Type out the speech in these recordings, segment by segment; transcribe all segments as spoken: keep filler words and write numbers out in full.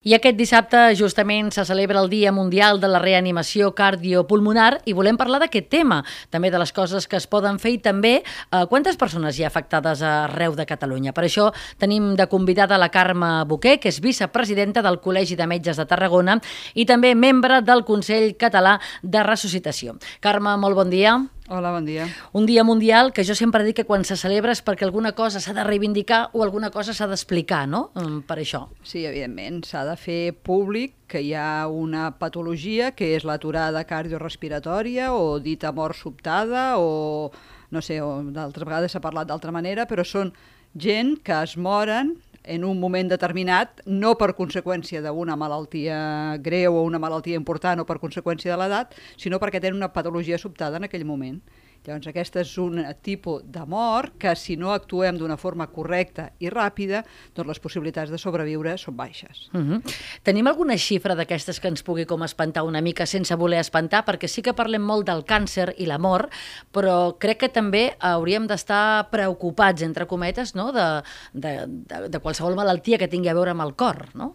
I aquest dissabte justament se celebra el Dia Mundial de la Reanimació Cardiopulmonar i volem parlar d'aquest tema, també de les coses que es poden fer i també eh, quantes persones hi ha afectades arreu de Catalunya. Per això tenim de convidada la Carme Boquer, que és vicepresidenta del Col·legi de Metges de Tarragona i també membre del Consell Català de Ressuscitació. Carme, molt bon dia. Hola, bon dia. Un dia mundial que jo sempre dic que quan se celebra és perquè alguna cosa s'ha de reivindicar o alguna cosa s'ha d'explicar, no?, per això. Sí, evidentment, s'ha de fer públic que hi ha una patologia que és l'aturada cardiorespiratòria o dita mort sobtada o, no sé, o d'altres vegades s'ha parlat d'altra manera, però són gent que es moren en un moment determinat, no per conseqüència d'una malaltia greu o una malaltia important o per conseqüència de l'edat, sinó perquè tenen una patologia sobtada en aquell moment. Llavors, aquesta és un tipus de mort que, si no actuem d'una forma correcta i ràpida, doncs les possibilitats de sobreviure són baixes. Uh-huh. Tenim alguna xifra d'aquestes que ens pugui com espantar una mica sense voler espantar? Perquè sí que parlem molt del càncer i la mort, però crec que també hauríem d'estar preocupats, entre cometes, no?, de, de, de, de qualsevol malaltia que tingui a veure amb el cor, no?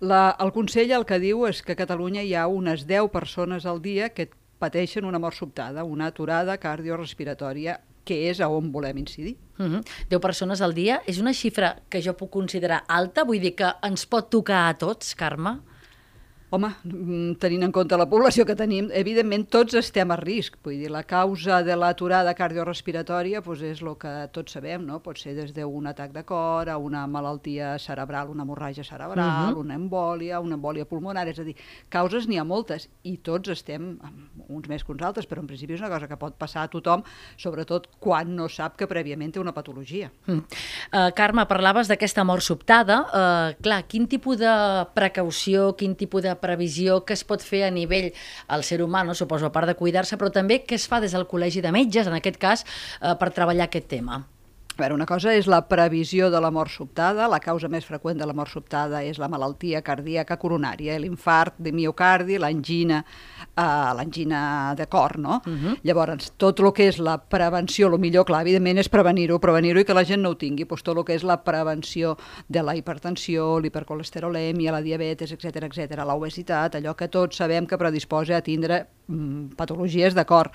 La, el Consell el que diu és que a Catalunya hi ha unes deu persones al dia que pateixen una mort sobtada, una aturada cardiorespiratòria, que és a on volem incidir. Uh-huh. deu persones al dia és una xifra que jo puc considerar alta? Vull dir que ens pot tocar a tots, Carme? Home, tenint en compte la població que tenim, evidentment tots estem a risc. Vull dir, la causa de l'aturada cardiorespiratòria doncs és el que tots sabem, no? Pot ser des d'un atac de cor a una malaltia cerebral, una hemorràgia cerebral, uh-huh. una embòlia, una embòlia pulmonar, és a dir, causes n'hi ha moltes i tots estem, uns més que uns altres, però en principi és una cosa que pot passar a tothom, sobretot quan no sap que prèviament té una patologia. Uh, uh, Carme, parlaves d'aquesta mort sobtada. Uh, clar, quin tipus de precaució, quin tipus de previsió que es pot fer a nivell al ser humà, no? Suposo, a part de cuidar-se, però també què es fa des del Col·legi de Metges, en aquest cas, eh, per treballar aquest tema? A veure, una cosa és la previsió de la mort sobtada. La causa més freqüent de la mort sobtada és la malaltia cardíaca coronària, l'infart de miocardi, l'angina, eh, l'angina de cor, no? Uh-huh. Llavors, tot el que és la prevenció, el millor, clar, evidentment, és prevenir-ho, prevenir-ho i que la gent no ho tingui. Doncs tot el que és la prevenció de la hipertensió, l'hipercolesterolèmia, la diabetes, etcètera, etcètera, l'obesitat, allò que tots sabem que predisposa a tindre mm, patologies de cor.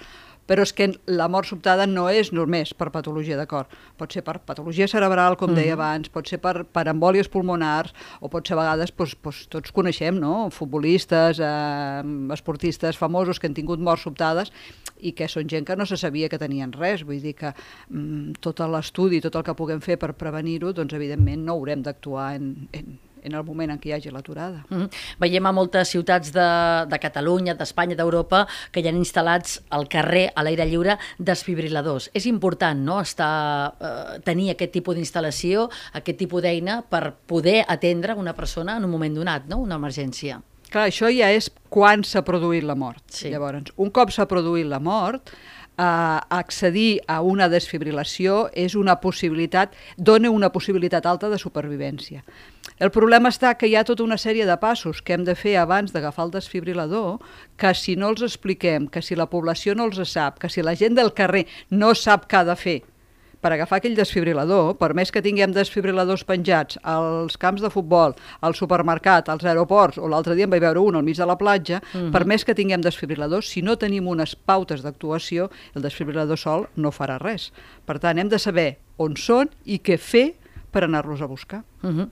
Però és que la mort sobtada no és només per patologia de cor. Pot ser per patologia cerebral, com deia abans, pot ser per, per embòlies pulmonars, o pot ser a vegades, doncs, doncs, tots coneixem, no?, futbolistes, eh, esportistes famosos que han tingut morts sobtades i que són gent que no se sabia que tenien res. Vull dir que mm, tot l'estudi, tot el que puguem fer per prevenir-ho, doncs evidentment no haurem d'actuar en, en en el moment en què hi hagi l'aturada. Mm-hmm. Veiem a moltes ciutats de, de Catalunya, d'Espanya, d'Europa, que hi ha instal·lats al carrer, a l'aire lliure, desfibriladors. És important, no?, estar, eh, tenir aquest tipus d'instal·lació, aquest tipus d'eina per poder atendre una persona en un moment donat, no?, una emergència. Clar, això ja és quan s'ha produït la mort. Sí. Llavors, un cop s'ha produït la mort, eh, accedir a una desfibrilació és una possibilitat, dona una possibilitat alta de supervivència. El problema està que hi ha tota una sèrie de passos que hem de fer abans d'agafar el desfibrilador, que si no els expliquem, que si la població no els sap, que si la gent del carrer no sap què ha de fer per agafar aquell desfibrilador, per més que tinguem desfibriladors penjats als camps de futbol, al supermercat, als aeroports, o l'altre dia en vaig veure un al mig de la platja, uh-huh. per més que tinguem desfibriladors, si no tenim unes pautes d'actuació, el desfibrilador sol no farà res. Per tant, hem de saber on són i què fer per anar-los a buscar. Uh-huh.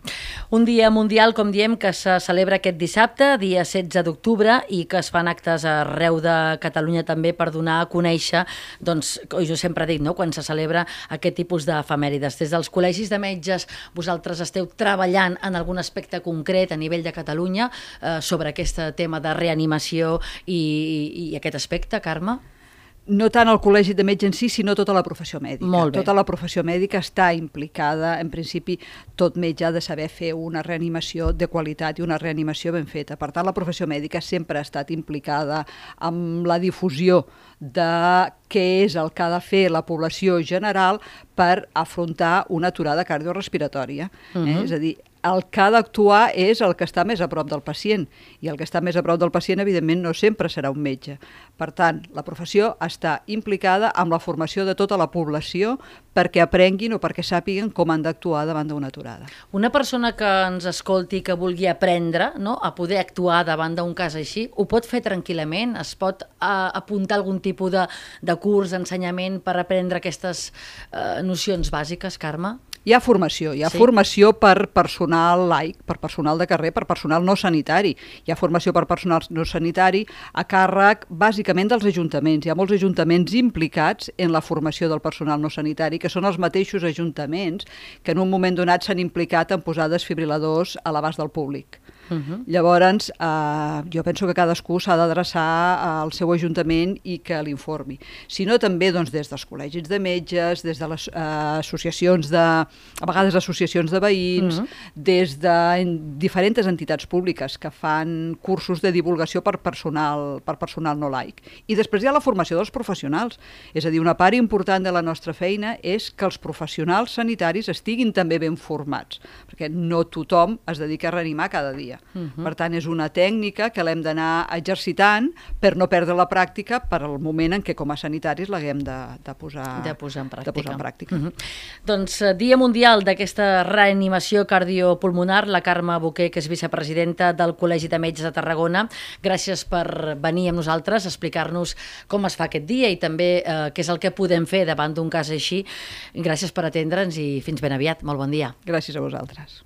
Un dia mundial, com diem, que se celebra aquest dissabte, dia setze d'octubre, i que es fan actes arreu de Catalunya també per donar a conèixer, doncs, jo sempre dic, no?, quan se celebra aquest tipus d'efemèrides. Des dels col·legis de metges, vosaltres esteu treballant en algun aspecte concret a nivell de Catalunya eh, sobre aquest tema de reanimació i, i aquest aspecte, Carme? No tant el Col·legi de Metges en si, sinó tota la professió mèdica. Molt bé. Tota la professió mèdica està implicada. En principi, tot metge ha de saber fer una reanimació de qualitat i una reanimació ben feta. Per tant, la professió mèdica sempre ha estat implicada amb la difusió de què és el que ha de fer la població general per afrontar una aturada cardiorespiratòria. Uh-huh. eh? És a dir, el que ha d'actuar és el que està més a prop del pacient, i el que està més a prop del pacient, evidentment, no sempre serà un metge. Per tant, la professió està implicada amb la formació de tota la població perquè aprenguin o perquè sàpiguen com han d'actuar davant d'una aturada. Una persona que ens escolti, que vulgui aprendre, no?, a poder actuar davant d'un cas així, ho pot fer tranquil·lament? Es pot eh, apuntar algun tipus de, de curs, d'ensenyament per aprendre aquestes eh, nocions bàsiques, Carme? Hi ha formació, hi ha sí? formació per personal laic, per personal de carrer, per personal no sanitari. Hi ha formació per personal no sanitari a càrrec, bàsicament, dels ajuntaments. Hi ha molts ajuntaments implicats en la formació del personal no sanitari, que són els mateixos ajuntaments que en un moment donat s'han implicat en posar desfibriladors a l'abast del públic. Uh-huh. Llavors, eh, jo penso que cadascú s'ha d'adreçar al seu ajuntament i que l'informi. Si no, també doncs, des dels col·legis de metges, des de les eh, associacions de... a vegades associacions de veïns, uh-huh. des de diferents entitats públiques que fan cursos de divulgació per personal, per personal no laic. I després hi ha la formació dels professionals. És a dir, una part important de la nostra feina és que els professionals sanitaris estiguin també ben formats, perquè no tothom es dedica a reanimar cada dia. Uh-huh. Per tant, és una tècnica que l'hem d'anar exercitant per no perdre la pràctica per al moment en què com a sanitaris l'haguem de, de, posar, de posar en pràctica. De posar en pràctica. Uh-huh. Doncs Dia Mundial d'aquesta reanimació cardiopulmonar, la Carme Boquer, que és vicepresidenta del Col·legi de Metges de Tarragona. Gràcies per venir amb nosaltres a explicar-nos com es fa aquest dia i també eh, què és el que podem fer davant d'un cas així. Gràcies per atendre'ns i fins ben aviat. Molt bon dia. Gràcies a vosaltres.